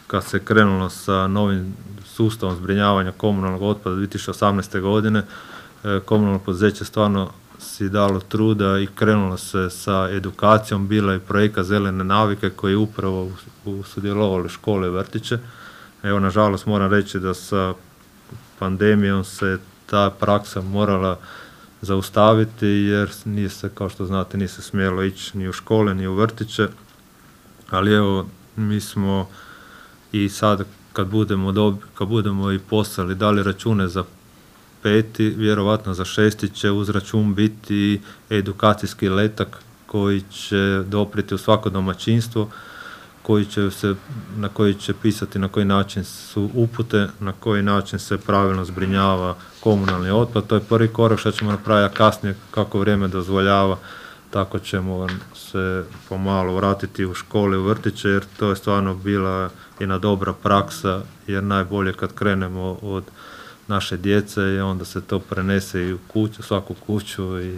kad se krenulo sa novim sustavom zbrinjavanja komunalnog otpada 2018. godine, komunalno poduzeće stvarno si dalo truda i krenulo se sa edukacijom, bila je projekat Zelene navike koji je upravo sudjelovali škole i vrtiće. Evo, nažalost, moram reći da sa pandemijom se ta praksa morala zaustaviti jer nije se, kao što znate, nije se smjelo ići ni u škole ni u vrtiće, ali evo, mi smo i sad kad budemo i poslali dali račune za 5. vjerovatno za 6. će uz račun biti edukacijski letak koji će doprijeti u svako domaćinstvo, na koji će pisati na koji način su upute, na koji način se pravilno zbrinjava komunalni otpad. To je prvi korak što ćemo napraviti, a kasnije kako vrijeme dozvoljava, tako ćemo se pomalo vratiti u škole, u vrtiće, jer to je stvarno bila jedna dobra praksa, jer najbolje kad krenemo od naše djece i onda se to prenese i u kuću, svaku kuću i